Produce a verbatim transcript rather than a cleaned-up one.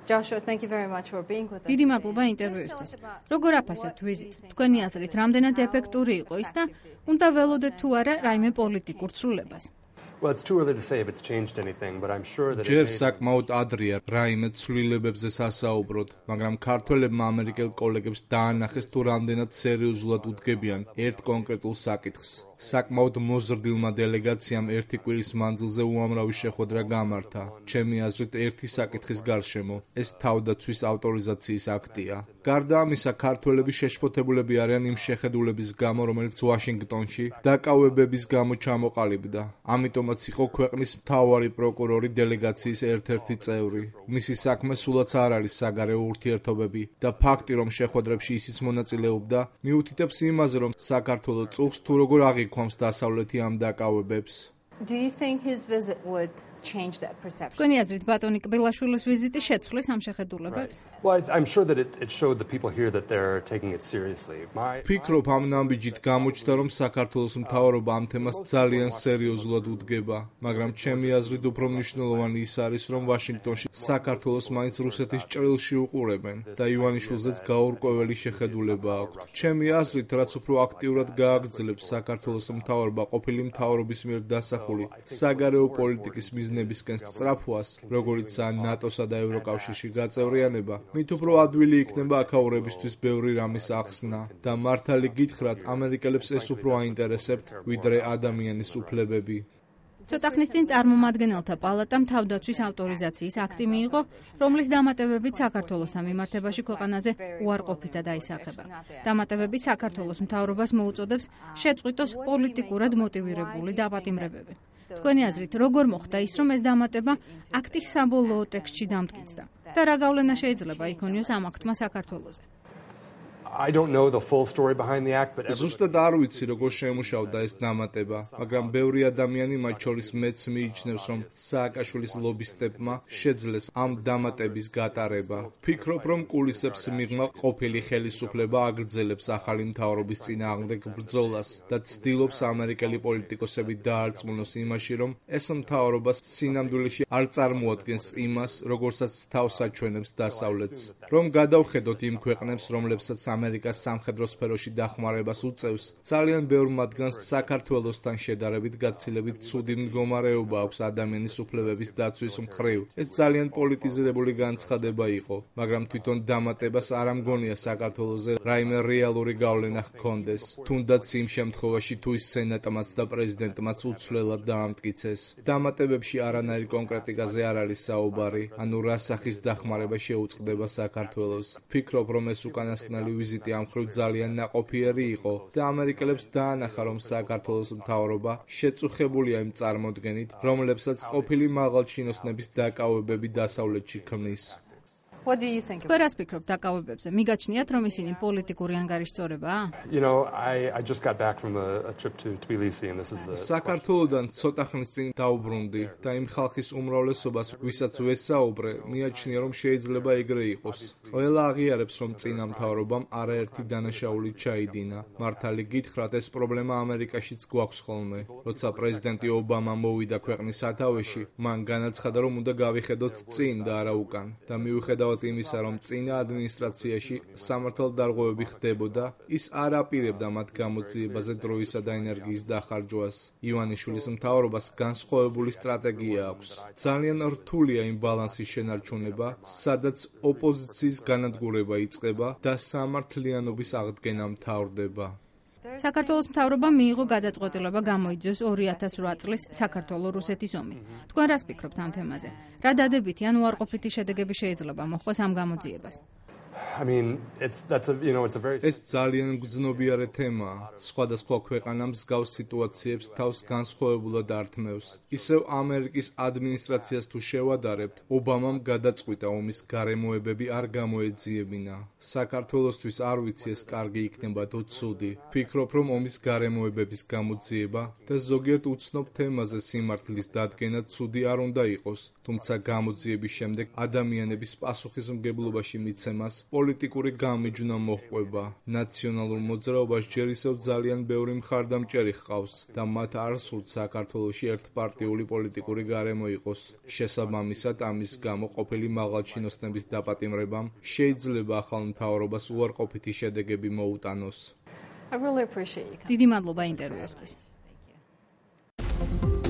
Joshua, thank you very much for being with us. დიდი მადლობა ინტერვიუსთვის. როგორ აფასებთ ვიზიტს? თქვენი აზრით, რამდენად ეფექტური იყო ის და უნდა ველოდეთ თუ არა რაიმე პოლიტიკურ ცვლილებას? Well, it's too early to say if it's changed anything, but I'm sure that ჯერ საკმაოდ ადრეა რაიმე ცვლილებებზე სასაუბროთ, მაგრამ ქართველებმა ამერიკელ კოლეგებს დაანახეს თუ რამდენად სერიოზულად უდგებიან ერთ კონკრეტულ საკითხს. საკმაოდ მოზრდილმა დელეგაციამ ერთი კვირის მანძილზე უამრავი შეხვედრა გამართა. ჩემი აზრით, ერთი საკითხის გარშემო ეს თავდაცვის ავტორიზაციის აქტია. გარდა ამისა, ქართველები შეშფოთებულები არიან იმ შეხედულების გამო, რომელიც ვაშინგტონში დაკავებების გამო ჩამოყალიბდა. ამიტომაც იყო ქვეყნის მთავარი პროკურორი დელეგაციის ერთ-ერთი წევრი. მისი საქმე სულაც არ არის საგარეო ურთიერთობები და ფაქტი, რომ შეხვედრებში ისიც მონაწილეობდა, მიუთითებს იმაზე, რომ საქართველოს წუხს თუ როგორ აღიქვამს დასავლეთი ამ დაკავებებს. Do you think his visit would change that perception? თქვენი აზრით, ბატონი კბილაშვილის ვიზიტი შეცვლის ამ შეხედულებებს? Well, I'm sure that it, it showed the people here that they're taking it seriously. My ფიქრობ ამ ნაბიჯით გამოჩნდა, რომ საქართველოს მთავრობა ამ თემას ძალიან სერიოზულად უდგება, მაგრამ ჩემი აზრით უფრო მნიშვნელოვანი ის არის, რომ ვაშინგტონში საქართველოს მაინც რუსეთის ჭრილში უყურებენ და ივანიშვილზეც გაურკვეველი შეხედულება აქვთ. ჩემი აზრით, რაც უფრო აქტიურად გააგრძელებს საქართველოს მთავრობა ყოფილი მთავრობის მიერ დასახული საგარეო პოლიტიკის მიზნებისკენ სწრაფვას, როგორიცაა ნატოსა და ევროკავშირში გაწევრიანება, მით უფრო ადვილი იქნება აქაურებისთვის ბევრი რამის ახსნა და მართალი გითხრათ, ამერიკელებს ეს უფრო აინტერესებთ, ვიდრე ადამიანის უფლებები. ცოტა ხნის წინ წარმომადგენელთა პალატამ თავდაცვის ავტორიზაციის აქტი მიიღო, რომლის დამატებებით საქართველოსთან მიმართებაში ქვეყანაზე უარყოფითა დაისახება. დამატებები საქართველოს მთავრობას მოუწოდებს შეწყვიტოს პოლიტიკურად მოტივირებული დაპატიმრებები. თქვენი აზრით, როგორ მოხდა ის, რომ ეს დამატება აქტის საბოლოო ტექსტში დამტკიცდა და რა გავლენა შეიძლება იქონიოს ამ აქტმა საქართველოზე? I don't know the full story behind the act, but ზუსტად არ ვიცი, როგორ შემუშავდა ეს დამატება, მაგრამ ბევრი ადამიანი, მათ შორის მეც მიიჩნევს, რომ სააკაშვილის ლობისტებმა შეძლეს ამ დამატების გატარება. ფიქრობ, რომ კულისებს მიღმა ყოფილი ხელისუფლება აგრძელებს ახალი მთავრობის წინააღმდეგ ბრძოლას და ცდილობს ამერიკელი პოლიტიკოსები დაარწმუნოს იმაში, რომ ეს მთავრობა სინამდვილეში არ წარმოადგენს იმას, როგორცაც თავს აჩვენებს დასავლეთს. რომ გადავხედოთ იმ ქვეყნებს, რომლებსაც ამერიკას სამხედრო სფეროში დახმარებას უწევს, ძალიან ბევრ მათგანს საქართველოსთან შედარებით გაცილებით ცუდი მდგომარეობა აქვს ადამიანის უფლებების დაცვის მხრივ. ეს ძალიან პოლიტიზირებული განცხადება იყო, მაგრამ თვითონ დამატებას არ ამგონია საქართველოზე რაიმე რეალური გავლენა ჰქონდეს, თუნდაც იმ შემთხვევაში, თუ ის სენატმაც და პრეზიდენტმაც უცვლელად დაამტკიცეს. დამატებებში არანაირი კონკრეტიკაზე არ არის საუბარი, ანუ რა სახის დახმარება შეუწყდება საქართველოს. ფიქრობ, რომ ეს უკანასკნელი ვიზიტი ამ მხრივ ძალიან ნაყოფიერი იყო და ამერიკელებს დაანახა, რომ საქართველოს მთავრობა შეწუხებულია იმ წარმოდგენით, რომლებსაც ყოფილი მაღალჩინოსნების დაკავებები დასავლეთში ქმნის. What do you think? თქვენ რას ფიქრობთ დაკავებებზე? მიგაჩნიათ, რომ ისინი პოლიტიკური ანგარიშწორებაა? You know, I I just got back from a, a trip to Tbilisi and this is the საქართველოდან ცოტა ხნის წინ დაუბრუნდი და იმ ხალხის უმრავლესობას, ვისაც ვესაუბრე, მიაჩნია, რომ შეიძლება ეგრე იყოს. ყველა აღიარებს, რომ წინა მთავრობამ არაერთი დანაშაული ჩაიდინა. მართალი გითხრათ, ეს პრობლემა ამერიკაშიც გვაქვს ხოლმე. როცა პრეზიდენტი ობამა მოვიდა ქვეყნის სათავეში, მან განაცხადა, რომ უნდა გავიხედოთ წინ და არა უკან და მიუხედავად იმისა, რომ წინა ადმინისტრაციაში სამართალდარღვევები ხდებოდა, ის არ აპირებდა მათ გამოძიებაზე დროისა და ენერგიის დახარჯვას. ივანიშვილის მთავრობას განსხვავებული სტრატეგია აქვს. ძალიან რთულია იმ ბალანსის შენარჩუნება, სადაც ოპოზიციის განადგურება იწყება და სამართლიანობის აღდგენა მთავრდება. საქართველოს მთავრობამ მიიღო გადაწყვეტილება გამოიძიოს ორი ათას ორი წლის საქართველო-რუსეთის ომი. თქვენ რას ფიქრობთ ამ თემაზე? რა დადებითი ან უარყოფითი შედეგები შეიძლება მოჰყვეს ამ გამოძიებას? I mean, it's that's a you know, it's a very ეს ძალიან გრძნობიარე თემაა. სხვადასხვა ქვეყანა მსგავს სიტუაციებს თავს განსხვავებულად ართმევს. ისევ ამერიკის ადმინისტრაციას თუ შევადარებთ, ობამამ გადაწყვიტა ომის გარემოებები არ გამოეძიებინა. საქართველოსთვის არ ვიცი ეს კარგი იქნება თუ ცუდი. ფიქრობ, რომ ომის გარემოებების გამოძიება და ზოგიერთ უცნობ თემაზე სიმართლის დადგენა ცუდი არ უნდა იყოს, თუმცა გამოძიების შემდეგ ადამიანების პასუხისმგებლობაში მიცემას პოლიტიკური გამიჯვნა მოჰყვება. ნაციონალურ მოძრაობას ჯერ ისევ ძალიან ბევრი მხარდამჭერი ჰყავს და მათ არ სურთ საქართველოში ერთპარტიული პოლიტიკური გარემო იყოს. შესაბამისად, ამის გამო ყოფილი მაღალჩინოსნების დაპატიმრებამ შეიძლება ახალ მთავრობას უარყოფითი შედეგები მოუტანოს. I really appreciate you. დიდი მადლობა ინტერვიუსთვის. Thank you.